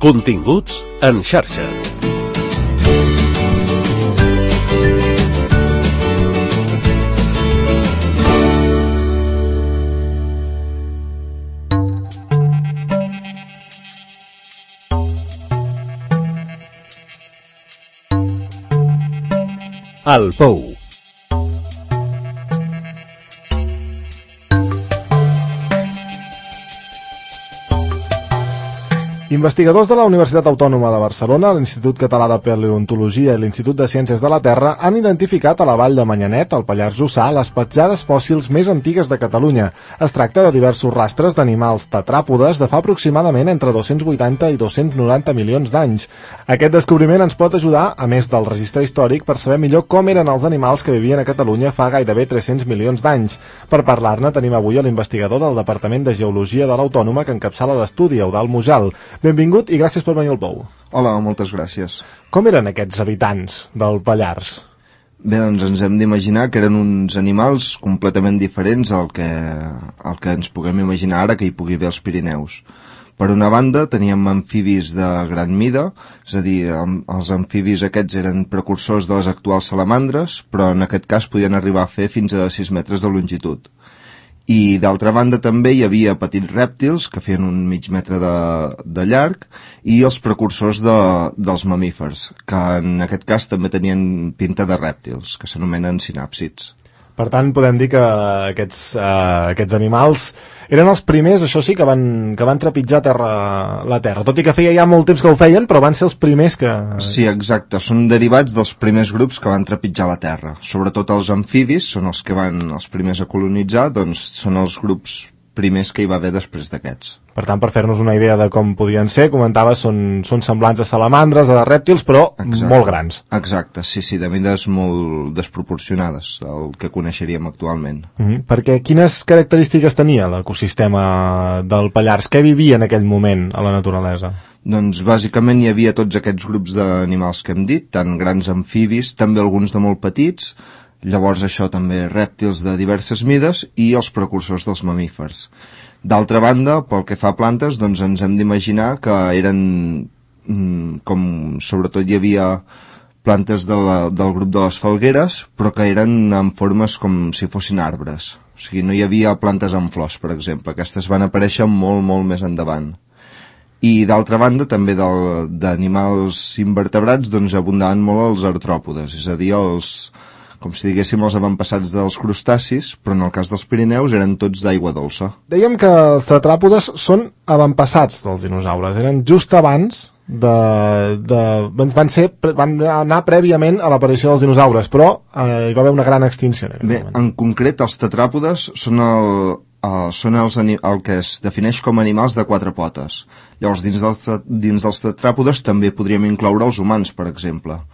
Continguts en xarxa. El Pou. Investigadors de la Universitat Autònoma de Barcelona, l'Institut Català de Paleontologia i l'Institut de Ciències de la Terra han identificat a la vall de Manyanet, al Pallars Jussà, les petjades fòssils més antigues de Catalunya. Es tracta de diversos rastres d'animals tetràpodes de fa aproximadament entre 280 i 290 milions d'anys. Aquest descobriment ens pot ajudar, a més del registre històric, per saber millor com eren els animals que vivien a Catalunya fa gairebé 300 milions d'anys. Per parlar-ne tenim avui a l'investigador del Departament de Geologia de l'Autònoma que encapçala l'estudi, Eudald Mujal. Benvingut i gràcies per venir al Pou. Hola, moltes gràcies. Com eren aquests habitants del Pallars? Bé, doncs ens hem d'imaginar que eren uns animals completament diferents al que ens puguem imaginar ara que hi pugui haver als Pirineus. Per una banda, teníem amfibis de gran mida, és a dir, els amfibis aquests eren precursors de les actuals salamandres, però en aquest cas podien arribar a fer fins a 6 metres de longitud. I d'altra banda també hi havia petits rèptils que feien un mig metre de llarg i els precursors dels mamífers, que en aquest cas també tenien pinta de rèptils, que s'anomenen sinàpsids. Per tant, podem dir que aquests animals eren els primers, això sí, que van trepitjar la Terra. Tot i que feia ja molt temps que ho feien, però van ser els primers que... Sí, exacte. Són derivats dels primers grups que van trepitjar la Terra. Sobretot els amfibis són els que van els primers a colonitzar, doncs són els grups primers que hi va haver després d'aquests. Per tant, per fer-nos una idea de com podien ser, comentaves, són semblants a salamandres, a rèptils, però molt grans. Exacte, sí, de mides molt desproporcionades del que coneixeríem actualment. Perquè quines característiques tenia l'ecosistema del Pallars? Què vivia en aquell moment a la naturalesa? Doncs bàsicament hi havia tots aquests grups d'animals que hem dit, tant grans amfibis, també alguns de molt petits, llavors això també rèptils de diverses mides i els precursors dels mamífers. D'altra banda, pel que fa a plantes, doncs ens hem d'imaginar que eren, com sobretot hi havia plantes del grup de les falgueres, però que eren en formes com si fossin arbres. O sigui, no hi havia plantes amb flors, per exemple. Aquestes van aparèixer molt, molt més endavant. I d'altra banda, també d'animals invertebrats, doncs abundaven molt els artròpodes, és a dir, com si diguéssim els avantpassats dels crustacis, però en el cas dels Pirineus eren tots d'aigua dolça. Dèiem que els tetràpodes són avantpassats dels dinosaures, eren just abans van anar prèviament a l'aparició dels dinosaures, però hi va haver una gran extinció. Bé, en concret els tetràpodes són el que es defineix com animals de 4 potes. Llavors, dins dels tetràpodes també podríem incloure els humans, per exemple.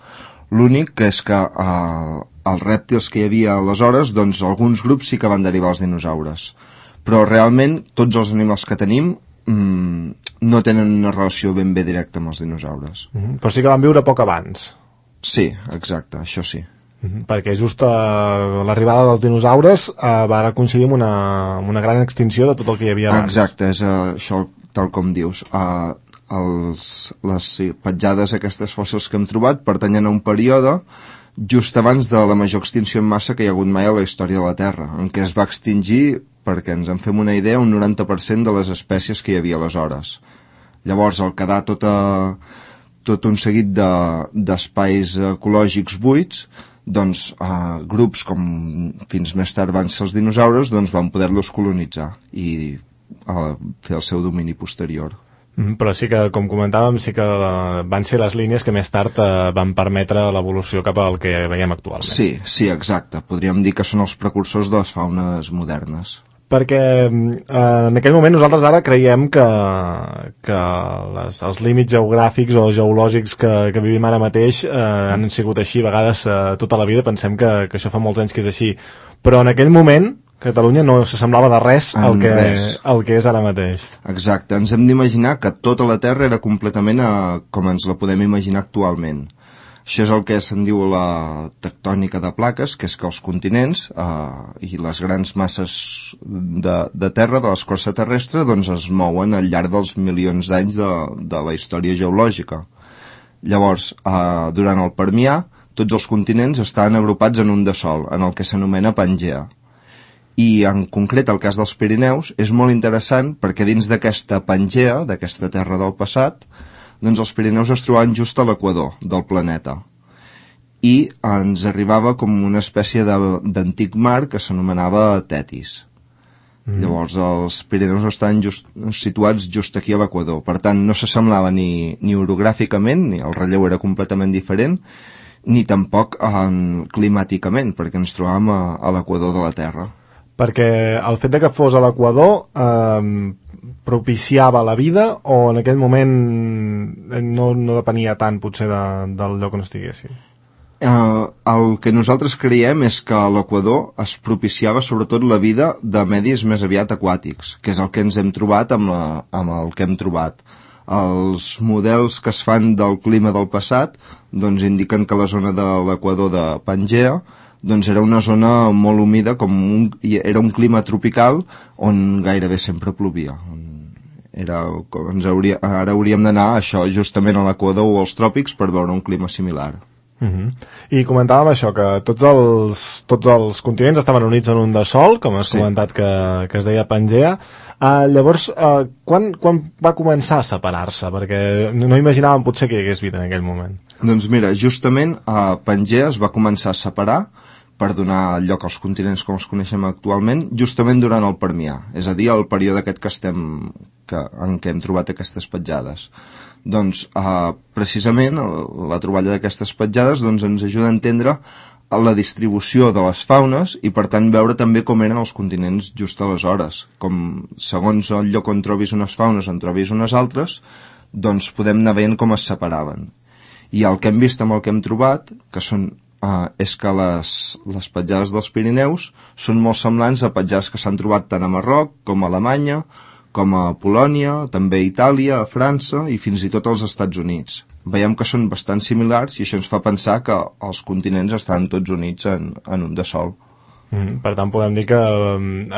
L'únic que és que els rèptils que hi havia aleshores, doncs alguns grups sí que van derivar als dinosaures. Però realment tots els animals que tenim no tenen una relació ben bé directa amb els dinosaures. Però sí que van viure poc abans. Sí, exacte, això sí. Perquè just l'arribada dels dinosaures va coincidir amb una gran extinció de tot el que hi havia abans. Exacte, és això tal com dius. Les petjades aquestes fòssils que hem trobat pertanyen a un període just abans de la major extinció en massa que hi ha hagut mai a la història de la Terra, en què es va extingir, perquè ens en fem una idea, un 90% de les espècies que hi havia aleshores. Llavors, al quedar tot un seguit d'espais ecològics buits, doncs grups com fins més tard van ser els dinosaures, doncs van poder-los colonitzar i fer el seu domini posterior. Però sí que, com comentàvem, sí que van ser les línies que més tard van permetre l'evolució cap al que veiem actualment. Sí, exacte. Podríem dir que són els precursors de les faunes modernes. Perquè en aquell moment nosaltres ara creiem que els límits geogràfics o geològics que vivim ara mateix han sigut així a vegades tota la vida. Pensem que això fa molts anys que és així. Però en aquell moment Catalunya no s'assemblava de res al que és ara mateix. Exacte, ens hem d'imaginar que tota la Terra era completament com ens la podem imaginar actualment. Això és el que se'n diu la tectònica de plaques, que és que els continents i les grans masses de terra, de l'escorça terrestre, doncs es mouen al llarg dels milions d'anys de la història geològica. Llavors, durant el Permià, tots els continents estaven agrupats en un de sol, en el que s'anomena Pangea. I en concret el cas dels Pirineus és molt interessant perquè dins d'aquesta Pangea, d'aquesta terra del passat, doncs els Pirineus es trobaven just a l'equador del planeta i ens arribava com una espècie d'antic mar que s'anomenava Tetis. Llavors els Pirineus estaven situats just aquí a l'equador, per tant no s'assemblava ni orogràficament, ni el relleu era completament diferent, ni tampoc climàticament, perquè ens trobàvem a l'equador de la Terra. Perquè el fet de que fos a l'equador propiciava la vida o en aquell moment no depenia tant potser del lloc on estiguessin? El que nosaltres creiem és que a l'equador es propiciava sobretot la vida de medis més aviat aquàtics, que és el que ens hem trobat amb el que hem trobat. Els models que es fan del clima del passat doncs indiquen que la zona de l'equador de Pangea doncs era una zona molt humida, era un clima tropical on gairebé sempre plovia. Ara hauríem d'anar això justament a l'equador o als tròpics per veure un clima similar. I comentàvem això, que tots els continents estaven units en un de sol, com has comentat que es deia Pangea. Llavors, quan va començar a separar-se? Perquè no imaginàvem potser que hi hagués vida en aquell moment. Doncs mira, justament Pangea es va començar a separar per donar lloc als continents com els coneixem actualment, justament durant el Permià, és a dir, el període aquest en què hem trobat aquestes petjades. Doncs, precisament, la troballa d'aquestes petjades doncs, ens ajuda a entendre la distribució de les faunes i, per tant, veure també com eren els continents just aleshores. Com, segons el lloc on trobis unes faunes, on trobis unes altres, doncs podem anar veient com es separaven. I el que hem vist amb el que hem trobat, és que les petjades dels Pirineus són molt semblants a petjades que s'han trobat tant a Marroc com a Alemanya, com a Polònia, també a Itàlia, a França i fins i tot als Estats Units. Veiem que són bastant similars i això ens fa pensar que els continents estan tots units en un de sol. Per tant, podem dir que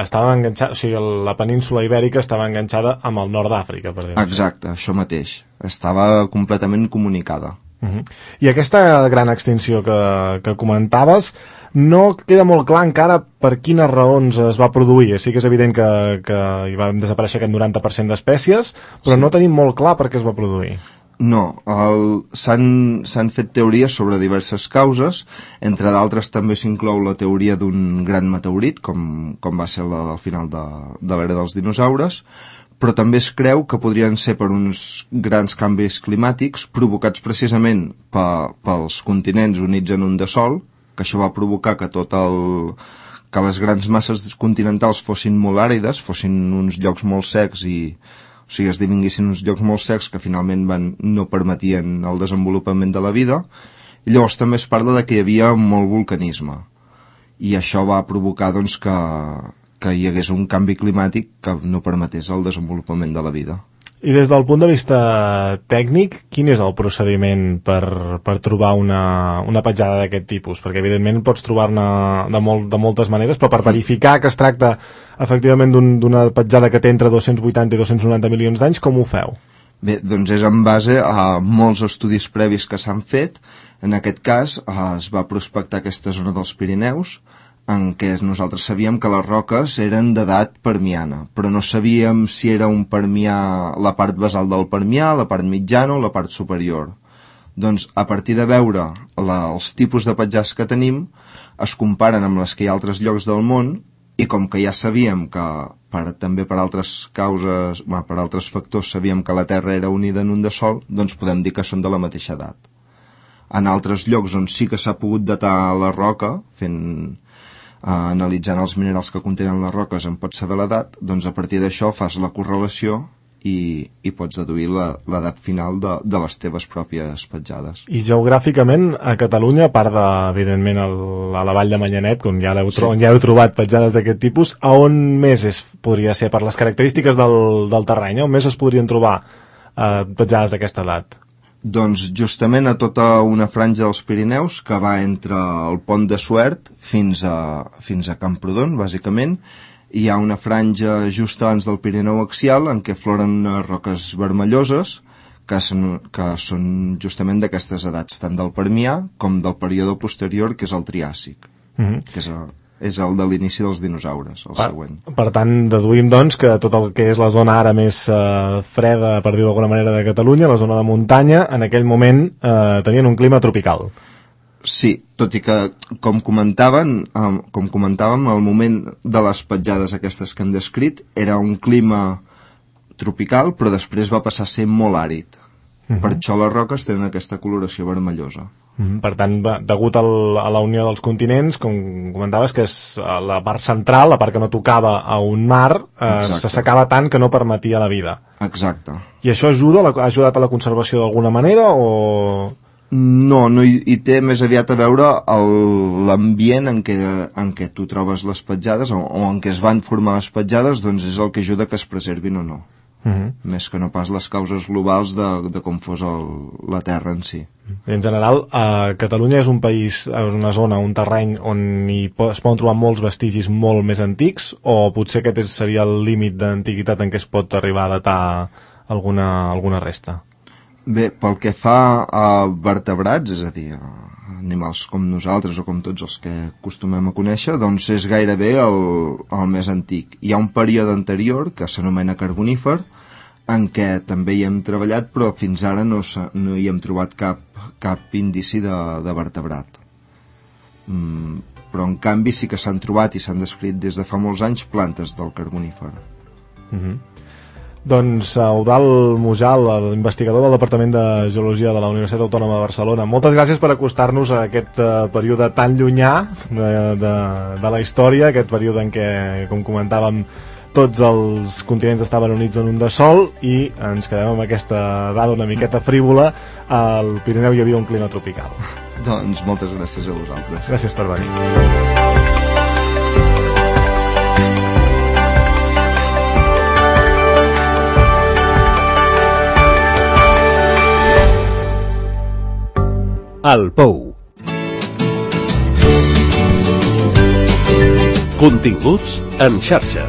estava enganxada, o sigui, la península ibèrica estava enganxada amb el nord d'Àfrica, per dir-ho. Exacte, això mateix. Estava completament comunicada. I aquesta gran extinció que comentaves no queda molt clar encara per quines raons es va produir. Sí que és evident que hi van desaparèixer aquest 90% d'espècies, però no tenim molt clar per què es va produir. No, s'han fet teories sobre diverses causes, entre d'altres també s'inclou la teoria d'un gran meteorit, com va ser la del final de l'era dels dinosaures, però també es creu que podrien ser per uns grans canvis climàtics provocats precisament pels continents units en un de sol, que això va provocar que que les grans masses continentals fossin molt àrides, fossin uns llocs molt secs o sigui, esdevinguessin uns llocs molt secs que finalment no permetien el desenvolupament de la vida. I llavors també es parla de que hi havia molt volcanisme i això va provocar doncs, que hi hagués un canvi climàtic que no permetés el desenvolupament de la vida. I des del punt de vista tècnic, quin és el procediment per trobar una petjada d'aquest tipus? Perquè evidentment pots trobar-ne de moltes maneres, però per verificar que es tracta efectivament d'una petjada que té entre 280 i 290 milions d'anys, com ho feu? Bé, doncs és en base a molts estudis previs que s'han fet. En aquest cas es va prospectar aquesta zona dels Pirineus, en què nosaltres sabíem que les roques eren d'edat permiana, però no sabíem si era un permià, la part basal del permià, la part mitjana o la part superior. Doncs a partir de veure els tipus de petjades que tenim, es comparen amb les que hi ha a altres llocs del món i com que ja sabíem que també per altres causes, per altres factors sabíem que la Terra era unida en un de sol, doncs podem dir que són de la mateixa edat. En altres llocs on sí que s'ha pogut datar la roca, analitzant els minerals que contenen les roques en pots saber l'edat, doncs a partir d'això fas la correlació i pots deduir l'edat final de les teves pròpies petjades. I geogràficament a Catalunya, a part evidentment a la Vall de Manyanet, on ja heu trobat petjades d'aquest tipus, a on més podria ser per les característiques del terreny, on més es podrien trobar petjades d'aquesta edat? Doncs justament a tota una franja dels Pirineus que va entre el pont de Suert fins a Camprodon, bàsicament. Hi ha una franja just abans del Pirineu axial en què floren unes roques vermelloses que són justament d'aquestes edats, tant del Permià com del període posterior, que és el Triàsic, que és el de l'inici dels dinosaures, el següent. Per tant, deduïm, doncs, que tot el que és la zona ara més freda, per dir-ho d'alguna manera, de Catalunya, la zona de muntanya, en aquell moment tenien un clima tropical. Sí, tot i que, com comentàvem, al moment de les petjades aquestes que hem descrit, era un clima tropical, però després va passar a ser molt àrid. Per això les roques tenen aquesta coloració vermellosa. Per tant, degut a la unió dels continents, com comentaves, que és la part central, la part que no tocava a un mar, s'assecava tant que no permetia la vida. Exacte. I això ha ajudat a la conservació d'alguna manera o...? No hi té més aviat a veure l'ambient en què tu trobes les petjades o en què es van formar les petjades, doncs és el que ajuda que es preservin o no. Més que no pas les causes globals de com fos la Terra en si. En general, Catalunya és un país, és una zona, un terreny on es poden trobar molts vestigis molt més antics, o potser aquest seria el límit d'antiguitat en què es pot arribar a datar alguna resta? Bé, pel que fa a vertebrats, és a dir, animals com nosaltres o com tots els que acostumem a conèixer, doncs és gairebé el més antic. Hi ha un període anterior, que s'anomena Carbonífer, en què també hi hem treballat, però fins ara no hi hem trobat cap indici de vertebrat. Però en canvi sí que s'han trobat i s'han descrit des de fa molts anys plantes del Carbonífer. Doncs Eudald Mujal, l'investigador del Departament de Geologia de la Universitat Autònoma de Barcelona, moltes gràcies per acostar-nos a aquest període tan llunyà de la història, aquest període en què, com comentàvem, tots els continents estaven units en un de sol, i ens quedem amb aquesta dada una miqueta frívola. Al Pirineu hi havia un clima tropical. Doncs moltes gràcies a vosaltres. Gràcies per venir. El Pou. Continguts en xarxa.